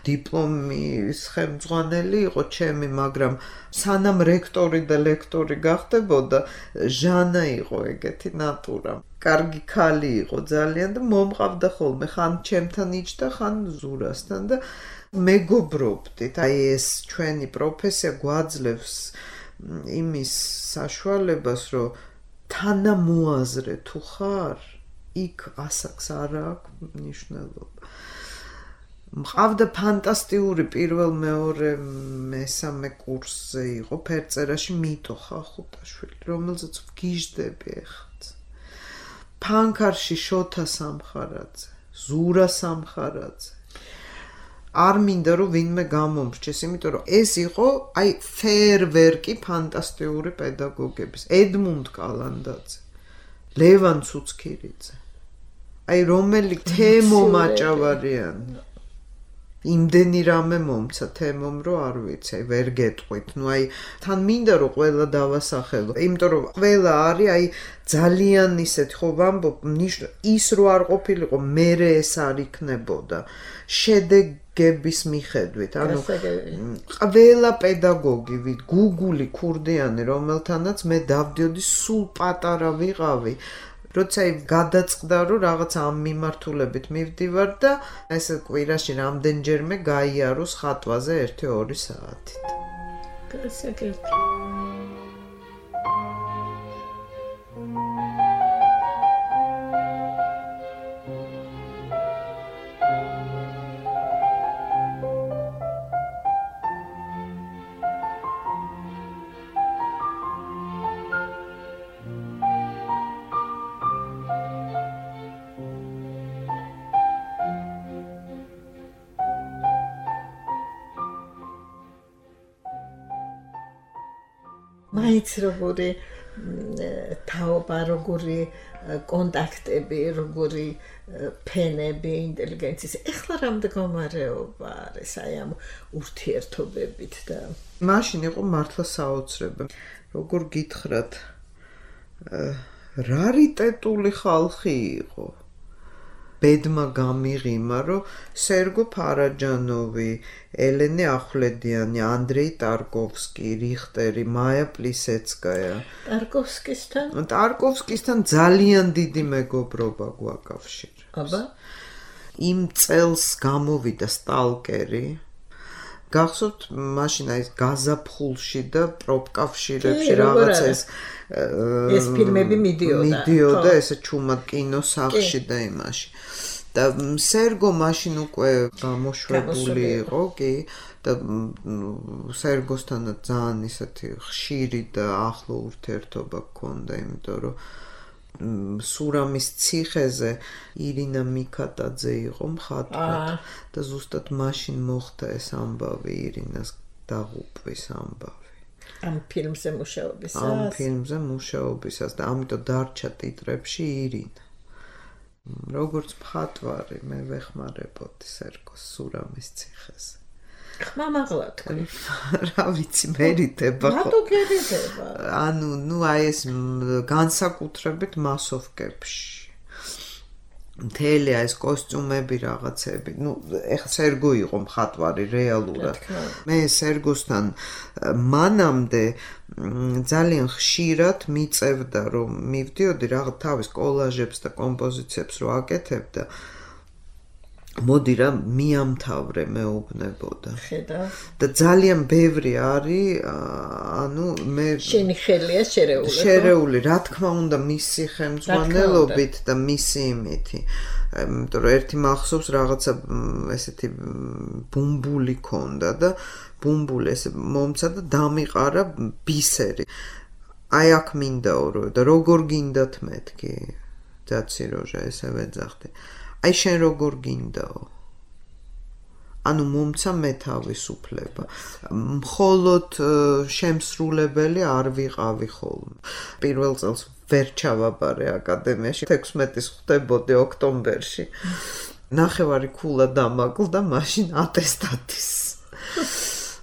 დიპლომის ხელმძღვანელი იყო ჩემი, მაგრამ სანამ რექტორი და ლექტორი გახდებოდა, ჟანა იყო ეგეთი ნატურა. კარგი ქალი იყო ძალიან და მომყავდა ხოლმე, ხან ჩემთან იჯდა, ხან ზურასთან და მეგობრობდით. აი ეს ჩვენი პროფესია გვაძლევს იმის საშუალებას, რომ თანამოაზრე თუ ხარ, იქ ასაკს არ აქვს მნიშვნელობა. მყავდა ფანტასტიკური პირველ, მეორე, მესამე კურსზე იყო ფერწერაში მიტო ხახუტაშვილი, რომელზეც ვგიჟდები ეხაც. ფანქარში შოთა სამხარაძე, ზურა სამხარაძე. არ მინდა რომ ვინმე გამომრჩეს, იმიტომ რომ ეს იყო აი ფეერვერკი ფანტასტიკური პედაგოგების. ედმუნდ კალანდაძე, ლევან ცუცქირიძე. აი რომელი თემო მაჭავარიანი. იმდენი რამე მომცა თემომ რომ არ ვიცი, აი ვერ გეტყვით. ნუ აი თან მინდა რომ ყველა დავასახელო, იმიტომ რომ ყველა არის აი ძალიან ისეთი ხო ვამბობ, ის რო არ ყოფილიყო, მერე ეს არ იქნებოდა. შედეგების მიხედვით, ანუ ყველა პედაგოგი, გუგული ქურდიანი, რომელთანაც მე დავდიოდი, სულ პატარა ვიყავი. როცა გადაწყდა რომ რაღაც ამ მიმართულებით მივდივარ და ესე კვირაში რამდენჯერმე გაიაროს ხატვაზე 1-2 საათით. გასაგებია. მაინც როგორი თაობა, როგორი კონტაქტები, როგორი ფენები ინტელიგენციის. ეხლა რა მდგომარეობა არის აი ამ ურთიერთობებით და მაშინ იყო მართლა საოცრება. როგორ გითხრათ, რარიტეტული ხალხი იყო. ბედმა გამიღიმა, რომ სერგო ფარაჯანოვი, ელენე ახვლედიანი, ანდრეი ტარკოვსკი, რიხტერი, მაია პლისეცკაია. ტარკოვსკისთან ძალიან დიდი მეგობრობა გვაკავშირებს. აბა? იმ წელს გამოვიდა სტალკერი. გახსოვთ, მაშინ აი გაზაფხულში და პროპკავშირებში რაღაცა ეს ფილმები მიდიოდა ესე ჩუმად კინოსახლში და იმაში. და სერგო მაშინ უკვე გამოშვებული იყო, კი, და სერგოსთანაც ძალიან ისეთი ხშირი და ახლო ურთიერთობა გქონდა, იმიტომ რომ სურამის ციხეზე ირინა მიქატაძე იყო მხატვრად და ზუსტად მაშინ მოხდა ეს ამბავი, ირინას დაღუპვის ამბავი. ამ ფილმზე მუშაობისას? ამ ფილმზე მუშაობისას და ამიტომ დარჩა ტიტრებში ირინა. როგორც მხატვარი მე ვეხმარებოდი სერგოს სურამის ციხეზე. ხმამაღლა თქვი. რა ვიცი, მერიდება ხო? რატო გერიდება? ანუ, ნუ აი ეს განსაკუთრებით მასოვკებში. მთელი ეს კოსტიუმები რაღაცები. ნუ ეხლა სერგო იყო მხატვარი რეალურად. მე სერგოსთან მანამდე ძალიან ხშირად მიწევდა რომ მივდიოდი რაღაც თავის კოლაჟებს და კომპოზიციებს რო აკეთებდა. მოდი რა მიამთავრე მეუბნებოდა. ხედავ. და ძალიან ბევრი არის, ანუ მე შენი ხელია შერეული. შერეული, რა თქმა უნდა, მისი ხელმძღვანელობით და მისი იმითი. იმიტომ რომ ერთი მახსოვს რაღაცა ესეთი ბუმბული ქონდა და ბუმბული ესე მომცა და დამიყარა ბისერი. აი აქ მინდაო და როგორ გინდათ მეთქი? ძაცი როჟა ესე ვეძახდი. აი შენ როგორ გინდაო? ანუ მომცა მე თავისუფლება. მხოლოდ შემსრულებელი არ ვიყავი ხოლმე. პირველ წელს ვერ ჩავაბარე აკადემიაში, 16-ის ხვდებოდი ოქტომბერში. ნახევარი ქულა დამაკლდა მაშინ ატესტატის.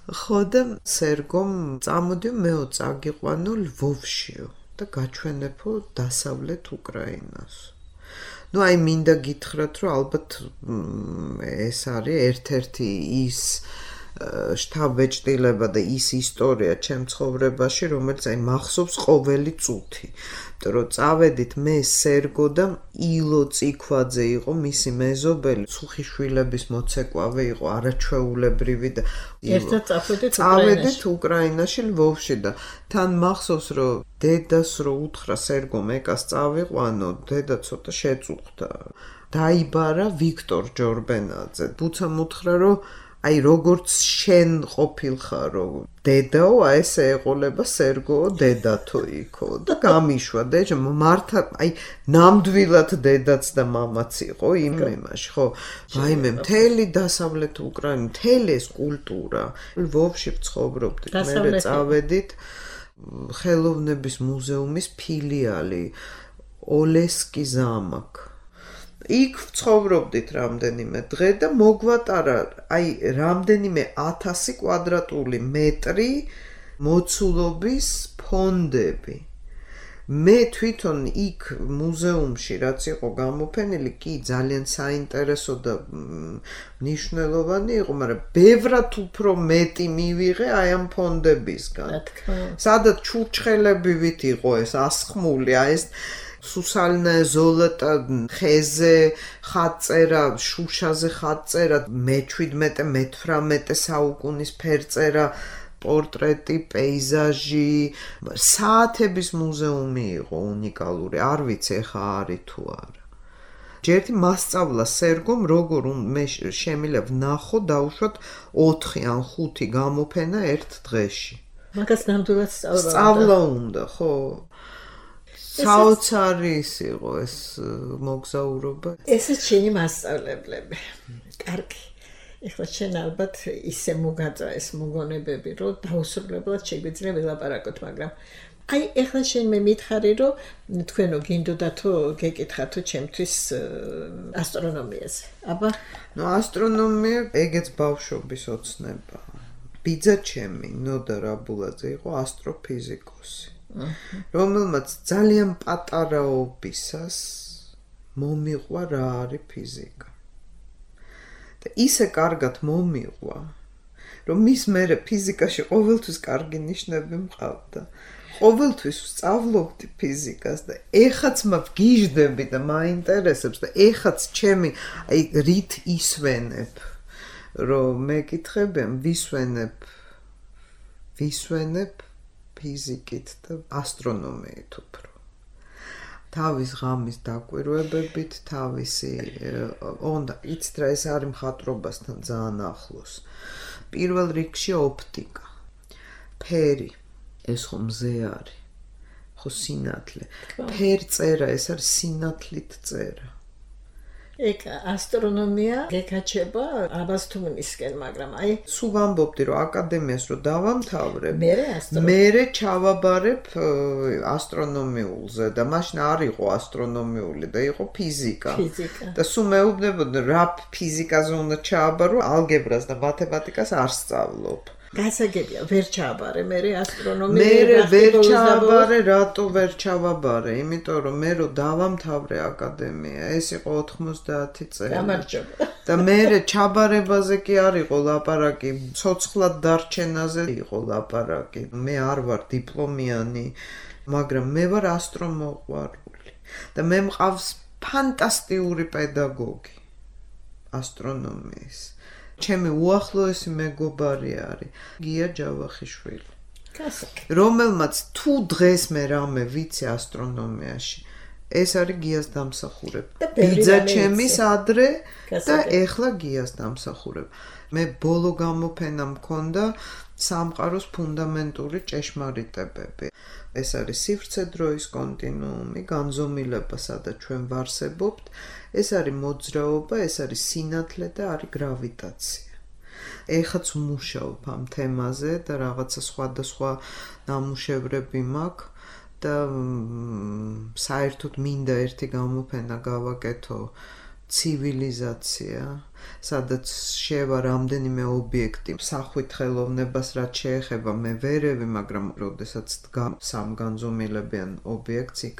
ხო და სერგომ წამოდიო მეო წაგიყვანო ლვოვშიო და გაჩვენებო დასავლეთ უკრაინას. ნუ აი მინდა გითხრათ, რომ ალბათ ეს არის ერთ-ერთი ის შთაბეჭდილება და ის ისტორია ჩემ ცხოვრებაში, რომელიც აი მახსოვს ყოველი წუთი. იმიტომ რომ წავედით მე სერგო და ილო წიქვაძე იყო მისი მეზობელი, ცუხიშვილების მოცეკვავე იყო, არაჩვეულებრივი და ერთად წავედით უკრაინაში, ლვოვში და თან მახსოვს, რომ დედას რო უთხრა სერგომ ეკას წავიყვანო, დედა ცოტა შეწუხდა. დაიბარა ვიქტორ ჯორბენაძე. ბუცამ უთხრა, რომ აი როგორც შენ ყოფილხარო დედაო, აი ესე ეყოლება სერგოო დედათო იქო და გამიშვა და მართა აი ნამდვილად დედაც და მამაც იყო იმაში, ხო? ვაიმე, მთელი დასავლეთ უკრაინა, მთელი ეს კულტურა. ლვოვში ვცხოვრობდით, მე წავედით ხელოვნების მუზეუმის ფილიალი ოლესკი ზამაკ. იქ ვცხოვრობდით რამდენიმე დღე და მოგვატარა აი რამდენიმე 1000 კვადრატული მეტრი მოცულობის ფონდები. მე თვითონ იქ მუზეუმში რაც იყო გამოფენილი, კი ძალიან საინტერესო და მნიშვნელოვანი იყო, მაგრამ ბევრად უფრო მეტი მივიღე აი ამ ფონდებისგან. სადაც ჩურჩხელებივით იყო ეს ასხმული, აი ეს სუსალნე ზოლოტა ხეზე ხატწერა, შუშაზე ხატწერა, მე-17-მე-18 საუკუნის ფერწერა, პორტრეტი, პეიზაჟი, საათების მუზეუმი იყო უნიკალური, არ ვიცი ეხა არის თუ არა. ჯერტი მასწავლა სერგომ, როგორ მე შემიძლია ვნახო დაუშვათ 4 ან 5 გამოფენა ერთ დღეში. მაგას ნამდვილად სწავლა უნდა, ხო? საოცარი იყო ეს მოგზაურობა. ესეც შენი მასწავლებლები. კარგი. ეხლა შენ ალბათ ისე მოგაწვა ეს მოგონებები, რომ დაუსრულებლად შეგვიძლია ვილაპარაკოთ, მაგრამ აი ეხლა შენ მე მითხარი, რომ თქვენო გინდოდათო გეკითხათო ჩემთვის ასტრონომიაზე. აბა, ნუ ასტრონომია ეგეც ბავშვობის ოცნება. ბიძა ჩემი ნოდა რაბულაძე იყო ასტროფიზიკოსი. რომელმაც ძალიან პატარაობისას მომიყვა რა არის ფიზიკა. და ისე კარგად მომიყვა, რომ მის მერე ფიზიკაში ყოველთვის კარგი ნიშნები მყავდა. ყოველთვის ვსწავლობდი ფიზიკას და ეხაც მგიჟდები და მაინტერესებს და ეხაც ჩემი აი რით ისვენებ, რომ მეკითხებიან ვისვენებ ფიზიკით და ასტრონომიით უფრო. თავის ღამის დაკვირვებებით, თავისი უნდა იცით რა ეს არის მხატვრობასთან ძალიან ახლოს. პირველ რიგში ოპტიკა, ფერი, ეს ხო მზე არის, ხო სინათლე. ფერწერა, ეს არის სინათლით წერა. ეგ ასტრონომია გეკაჩება აბასთუმნისკენ, მაგრამ აი სულ ვამბობდი, რომ აკადემიას რო დავამთავრებ, მერე ჩავაბარებ ასტრონომიულზე და მაშინ არ იყო ასტრონომიული და იყო ფიზიკა. და სულ მეუბნებოდი, რა ფიზიკაზე უნდა ჩააბარო, ალგებრას და მათემატიკას არ სწავლობ. გასაგებია, ვერ ჩააბარე მერე ასტრონომია. მერე ვერ ჩააბარე, რატო ვერ ჩავაბარე? იმიტომ რომ მე რო დავამთავრე აკადემია, ეს იყო 90 წელი. გამარჯობა. და მერე ჩაბარებაზე კი არ იყო ლაპარაკი, ცოცხლად დარჩენაზე იყო ლაპარაკი. მე არ ვარ დიპლომიანი, მაგრამ მე ვარ ასტრომოყვარული. და მე მყავს ფანტასტიკური პედაგოგი ასტრონომიის. ჩემი უახლოესი მეგობარი არის გია ჯავახიშვილი. რომელმაც თუ დღეს მე რამე ვიცი ასტრონომიაში, ეს არის გიას დამსახურება. ბიძა ჩემის ადრე და ეხლა გიას დამსახურება. მე ბოლო გამოფენა მქონდა სამყაროს ფუნდამენტური ჭეშმარიტებები. ეს არის სივრცე-დროის კონტინუუმი, განზომილება, სადაც ჩვენ ვარსებობთ. ეს არის მოძრაობა, ეს არის სინათლე და არის გრავიტაცია. ეხაც ვმუშაობ ამ თემაზე და რაღაცა სხვადასხვა ნამუშევრები მაქვს და საერთოდ მინდა ერთი გამოფენა გავაკეთო ცივილიზაცია, სადაც შევა რამდენიმე ობიექტი სახვით ხელოვნებას რაც შეეხება მე ვერევი, მაგრამ როდესაც სამ განზომილებიან ობიექტს იქ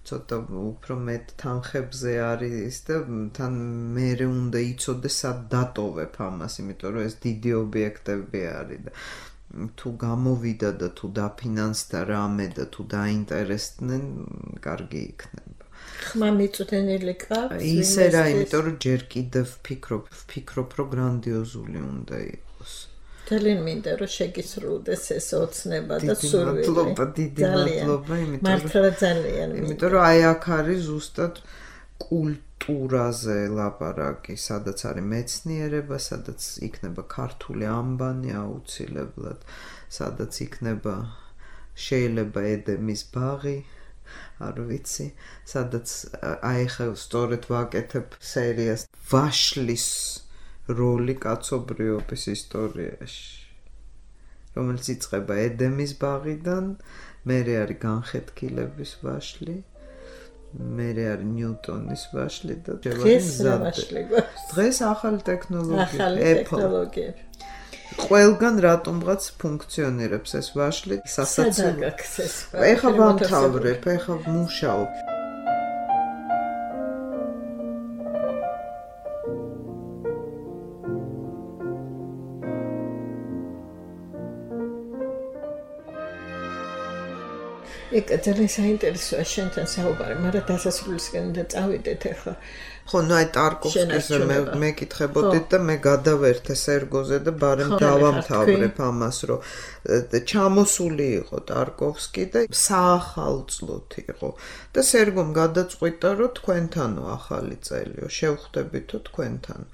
ცოტა უფრო მეტ თანხებზე არის და თან მერე უნდა იცოდეს სად დატოვებ ამას, იმიტომ რომ ეს დიდი ობიექტები არის და თუ გამოვიდა და თუ დაფინანსდა რამე და თუ დაინტერესდნენ, კარგი იქნება. ხმა მიწვდენილი ყავს? ისე რა, იმიტომ რომ ჯერ კიდევ ვფიქრობ, რომ გრანდიოზული უნდა იყოს. ძალიან მინდა რომ შეგისრულდეს ეს ოცნება და სურვილი. დიდი მადლობა, მართლა ძალიან მინდა. იმიტომ რომ აი აქ არის ზუსტად კულტურაზე ლაპარაკი, სადაც არის მეცნიერება, სადაც იქნება ქართული ამბანი აუცილებლად, სადაც იქნება შეიძლება ედემის ბაღი, არ ვიცი, სადაც აი ხა სწორედ ვაკეთებ სერიას ვაშლის როლი კაცობრიობის ისტორიაში, რომელიც იწყება ედემის ბაღიდან, მერე არის განხეთქილების ვაშლი, მერე არის ნიუტონის ვაშლი და დღეს ახალი ტექნოლოგია. ყველგან რატომღაც ფუნქციონირებს ეს ვაშლი, სასაცილო. ეხლა ვამთავრებ, ეხლა მუშაობ. ეკა ძალიან საინტერესოა შენთან საუბარი, მაგრამ დასასრულისკენ და წავიდეთ ახლა. ხო, ნუ აი ტარკოვსკიზე მეკითხებოდით და მე გადავერთე სერგოზე და ბარემ დავამთავრებ ამას, რომ ჩამოსული იყო ტარკოვსკი და საახალწლოდ იყო და სერგომ გადაწყვიტა, რომ თქვენთანო ახალი წელიო, შევხვდებითო თქვენთანო.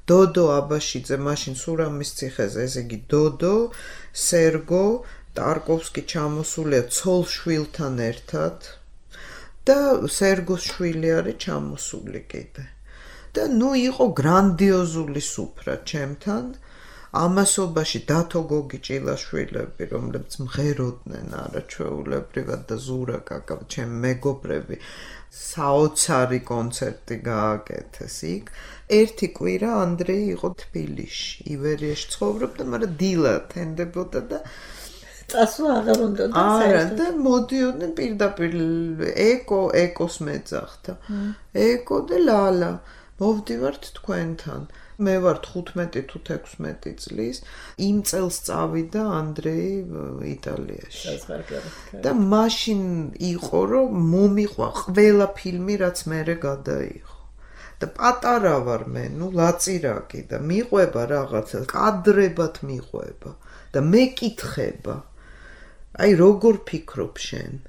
დოდო აბაშიძე მაშინ სურამის ციხეზე, ესე იგი დოდო, სერგო ტარკოვსკი ჩამოსულია ცოლ-შვილთან ერთად და სერგოს შვილი არის ჩამოსული კიდე. და ნუ იყო გრანდიოზული სუფრა ჩემთან, ამასობაში დათო გოგი ჭილაშვილები, რომლებიც მღეროდნენ არაჩვეულებრივად და ზურა კაკა, ჩემი მეგობრები, საოცარი კონცერტი გააკეთეს იქ. ერთი კვირა ანდრეი იყო თბილისში, ივერიაში ცხოვრობდა, მაგრამ დილა თენდებოდა და წასვლა აღარ უნდა არა და მოდიოდნენ პირდაპირ ეკოს მეძახდა. ეკო და ლალა. მოვდივართ თქვენთან. მე ვარ 15 თუ 16 წლის. იმ წელს წავიდა ანდრეი იტალიაში. და მაშინ იყო რომ მომიყვა ყველა ფილმი რაც მერე გადაიღო. და პატარა ვარ მე, ნუ ლაწირაკი და მიყვება რაღაცა, კადრებად მიყვება და მეკითხება. აი როგორ ფიქრობ შენ?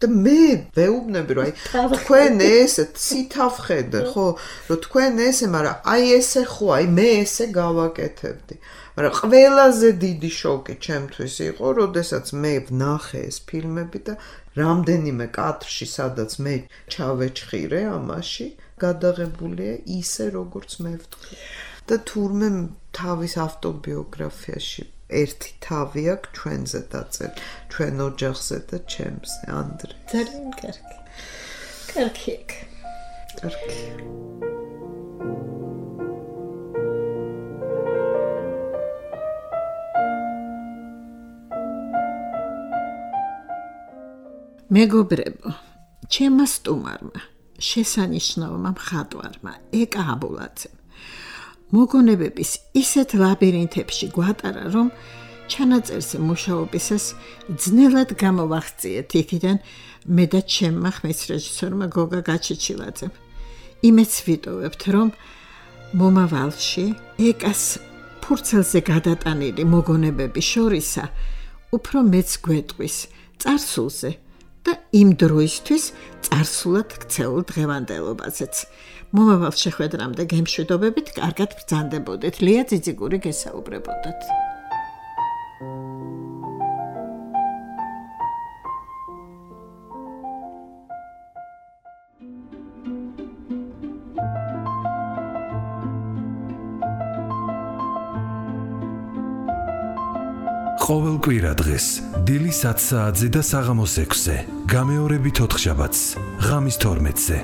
და მე ვეუბნები რომ აი თქვენ ესე ცითავ ხედე, ხო, რომ თქვენ ესე, მაგრამ აი ესე ხო, აი მე ესე გავაკეთებდი. მაგრამ ყველაზე დიდი შოკი ჩემთვის იყო, როდესაც მე ვნახე ეს ფილმები და რამდენიმე კადრში, სადაც მე ჩავეჩხირე ამაში, გადაღებულია ისე როგორც მე ვთქვი. და თურმე თავის ავტობიოგრაფიაში ერთი თავი აქვს ჩვენზე დაწერილი, ჩვენ ოჯახზე და ჩემზე, ანდრე. ძალიან კარგი. კარგი. კარგი. მეგობრებო, ჩემმა სტუმარმა, შესანიშნავმა მხატვარმა, ეკა აბულაძემ მოგონებების ისეთ ლაბირინთებში გვატარა, რომ ჩანაწერზე მუშაობისას ძნელად გამოვახციეთ იქიდან მე და ჩემმა ხმის რეჟისორმა გოგა გაჩიჩილაძემ. იმეც ვიტოვებთ, რომ მომავალში ეკას ფურცელზე გადატანილი მოგონებების შორისა უფრო მეც გვეტყვის წარსულზე და იმ დროისთვის წარსულად ქცეულ დღევანდელობაზეც. მომავალ შეხვედრამდე გემშვიდობებით, კარგად ბრძანდებოდეთ. ლია ძიძიგური გესაუბრებოდათ. ყოველ კვირა დღეს დილის 10 საათზე და საღამოს 6-ზე, გამეორებით 4 შაბათს, ღამის 12-ზე.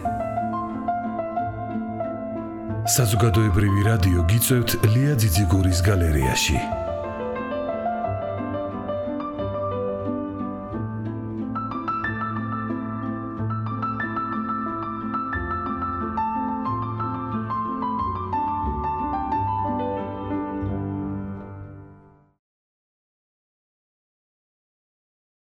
საზოგადოებრივი რადიო გიწევთ ლია ძიძიგურის გალერეაში.